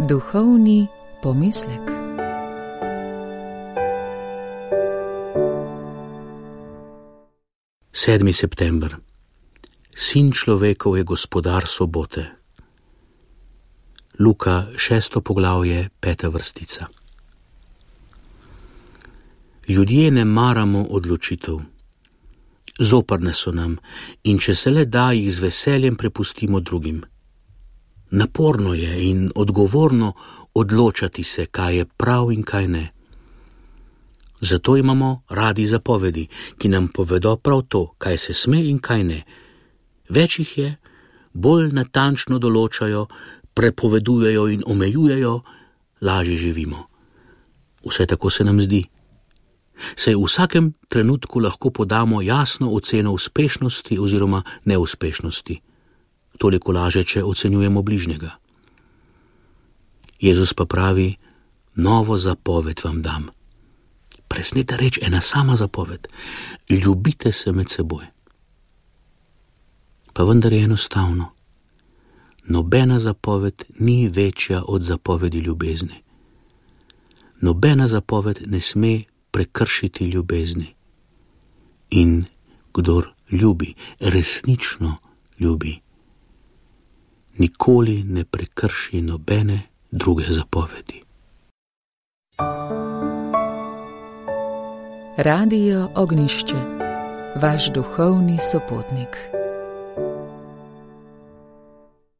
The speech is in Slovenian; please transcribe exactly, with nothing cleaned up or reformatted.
Duhovni pomislek. sedmi september. Sin človekov je gospodar sobote. Luka, šesto poglavje, peta vrstica. Ljudje ne maramo odločitev. Zoprne so nam in če se le da, jih z veseljem prepustimo drugim. Naporno je in odgovorno odločati se, kaj je prav in kaj ne. Zato imamo radi zapovedi, ki nam povedo prav to, kaj se sme in kaj ne. Več jih je, bolj natančno določajo, prepovedujejo in omejujejo, lažje živimo. Vse tako se nam zdi. Saj v vsakem trenutku lahko podamo jasno oceno uspešnosti oziroma neuspešnosti. Toliko laže, če ocenjujemo bližnjega. Jezus pa pravi, novo zapoved vam dam. Presneta reč, ena sama zapoved. Ljubite se med seboj. Pa vendar je enostavno. Nobena zapoved ni večja od zapovedi ljubezni. Nobena zapoved ne sme prekršiti ljubezni. In kdor ljubi, resnično ljubi, nikoli ne prekrši nobene druge zapovedi. Radio Ognjišče, vaš duhovni sopotnik.